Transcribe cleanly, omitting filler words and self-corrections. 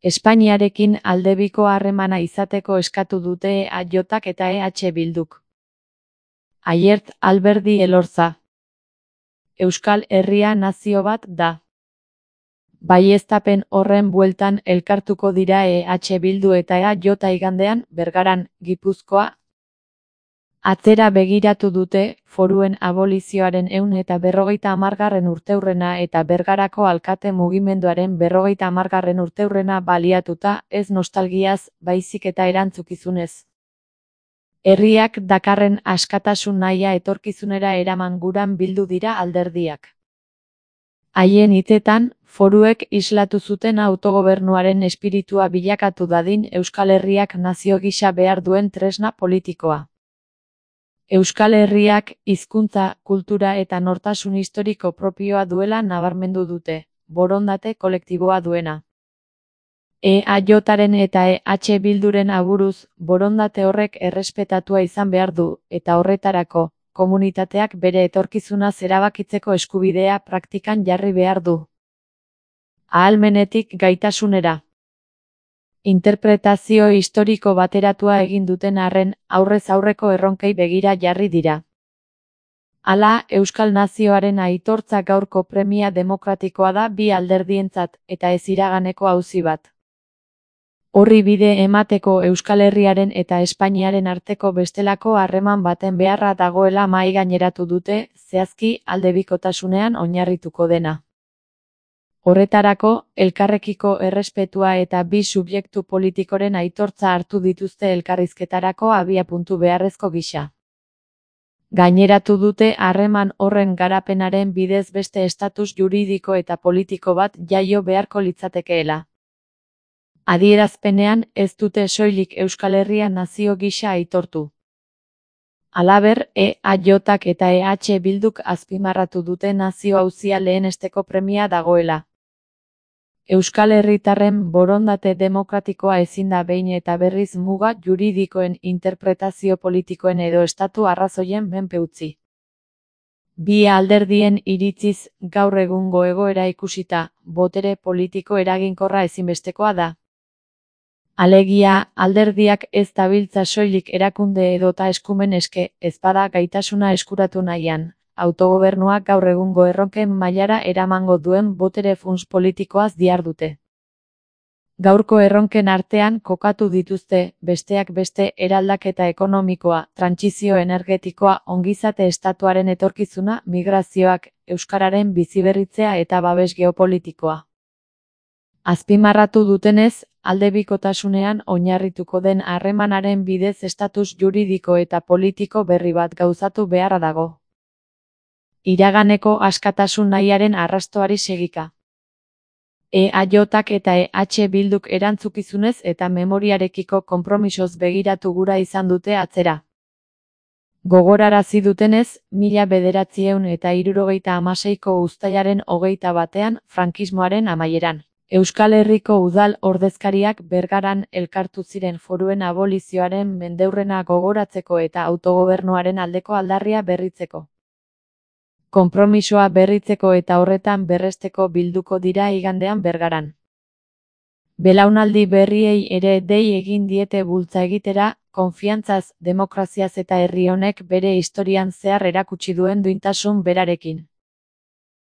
Espainiarekin aldebiko harremana izateko eskatu dute EAJak eta EH Bilduk. Aiert Alberdi Elorza. Euskal Herria nazio bat da. Baieztapen horren bueltan elkartuko dira EH Bildu eta EAJ igandean, Bergaran, Gipuzkoa. Atzera begiratu dute, foruen abolizioaren 150. urteurrena eta Bergarako alkate mugimenduaren 50. urteurrena baliatuta, ez nostalgiaz, baizik eta erantzukizunez. Herriak dakarren askatasun nahia etorkizunera eraman guran bildu dira alderdiak. Haien hitzetan, foruek islatu zuten autogobernuaren espiritua bilakatu dadin Euskal Herriak nazio gisa behar duen tresna politikoa. Euskal Herriak hizkuntza, kultura eta nortasun historiko propioa duela nabarmendu dute, borondate kolektiboa duena. EAJaren eta EH Bilduren aburuz, borondate horrek errespetatua izan behar du, eta horretarako, komunitateak bere etorkizunaz erabakitzeko eskubidea praktikan jarri behar du. Ahalmenetik gaitasunera. Interpretazio historiko bateratua egin duten arren, aurrez aurreko erronkei begira jarri dira. Hala, Euskal Nazioaren aitortza gaurko premia demokratikoa da bi alderdientzat, eta ez iraganeko auzi bat. Horri bide emateko Euskal Herriaren eta Espainiaren arteko bestelako harreman baten beharra dagoela mahai gaineratu dute, zehazki aldebikotasunean oinarrituko dena. Horretarako, elkarrekiko errespetua eta bi subjektu politikoren aitortza hartu dituzte elkarrizketarako abiapuntu beharrezko gisa. Gaineratu dute harreman horren garapenaren bidez beste estatus juridiko eta politiko bat jaio beharko litzatekeela. Adierazpenean ez dute soilik Euskal Herria nazio gisa aitortu. Halaber, EAJak eta EH Bilduk azpimarratu dute nazio auzia lehenesteko premia dagoela. Euskal Herritarren borondate demokratikoa ezin da behin eta berriz muga juridikoen interpretazio politikoen edo estatu arrazoien menpe utzi. Bi alderdien iritziz, gaur egungo egoera ikusita, botere politiko eraginkorra ezinbestekoa da. Alegia, alderdiak ez dabiltza soilik erakunde edota eskumen eske, ezpada gaitasuna eskuratu nahian, autogobernuak gaur egungo erronken mailara eramango duen botere funts politikoaz dihardute. Gaurko erronken artean kokatu dituzte, besteak beste eraldaketa ekonomikoa, trantsizio energetikoa, ongizate estatuaren etorkizuna, migrazioak, euskararen biziberritzea eta babes geopolitikoa. Azpimarratu dutenez, aldebikotasunean oinarrituko den harremanaren bidez estatus juridiko eta politiko berri bat gauzatu beharra dago. Iraganeko askatasun nahiaren arrastoari segika. EAJak eta EH Bilduk erantzukizunez eta memoriarekiko konpromisoz begiratu gura izan dute atzera. Gogorarazi dutenez, 1976ko uztailaren 21 frankismoaren amaieran. Euskal Herriko udal ordezkariak Bergaran elkartu ziren foruen abolizioaren mendeurrena gogoratzeko eta autogobernuaren aldeko aldarria berritzeko. Konpromisoa berritzeko eta horretan berresteko bilduko dira igandean Bergaran. Belaunaldi berriei ere dei egin diete bultza egitera, konfiantzaz, demokraziaz eta herri honek bere historian zehar erakutsi duen duintasun berarekin.